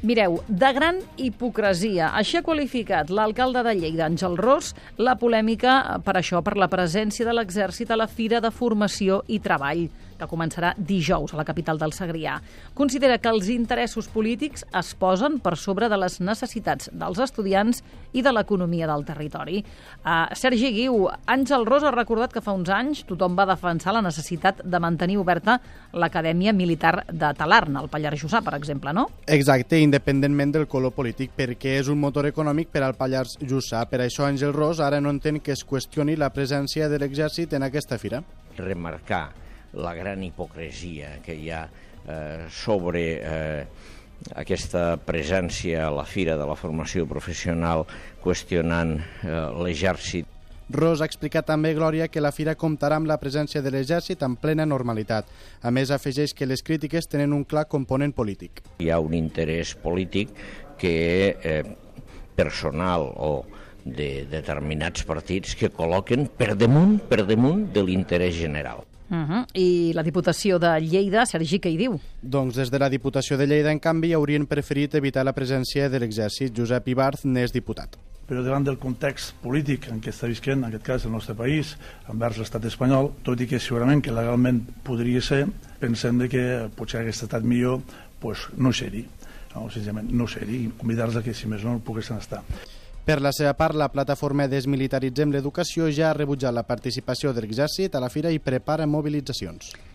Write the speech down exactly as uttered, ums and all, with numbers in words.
Mireu, de gran hipocresia. Així ha qualificat l'alcalde de Lleida, Àngel Ros, la polèmica per això, per la presència de l'exèrcit a la Fira de Formació i Treball, que començarà dijous a la capital del Segrià. Considera que els interessos polítics es posen per sobre de les necessitats dels estudiants i de l'economia del territori. Uh, Sergi Guiu, Àngel Ros ha recordat que fa uns anys tothom va defensar la necessitat de mantenir oberta l'Acadèmia Militar de Talarn, al Pallars Jussà, per exemple, no? Exacte, independentment del color polític, perquè és un motor econòmic per al Pallars Jussà. Per això Àngel Ros ara no entén que es qüestioni la presència de l'exèrcit en aquesta fira. Remarcar la gran hipocresia que hi ha eh, sobre eh, aquesta presència a la Fira de la Formació Professional qüestionant eh, l'exèrcit. Ros ha explicat també, Glòria, que la fira comptarà amb la presència de l'exèrcit en plena normalitat. A més, afegeix que les crítiques tenen un clar component polític. Hi ha un interès polític que eh, personal o de determinats partits que col·loquen per damunt, per damunt de l'interès general. Uh -huh. I la Diputació de Lleida, Sergi, què hi diu? Doncs des de la Diputació de Lleida, en canvi, haurien preferit evitar la presència de l'exèrcit. Josep Ibarz n'és diputat. Però davant del context polític en què està visquent, en aquest cas, el nostre país, envers l'estat espanyol, tot i que segurament que legalment podria ser, pensem que potser hagués estat millor pues, no ser-hi, no, senzillament no ser-hi, i convidar-los a que, si més no, poguessin estar. Per la seva part, la plataforma Desmilitaritzem l'Educació ja ha rebutjat la participació de l'exèrcit a la fira i prepara mobilitzacions.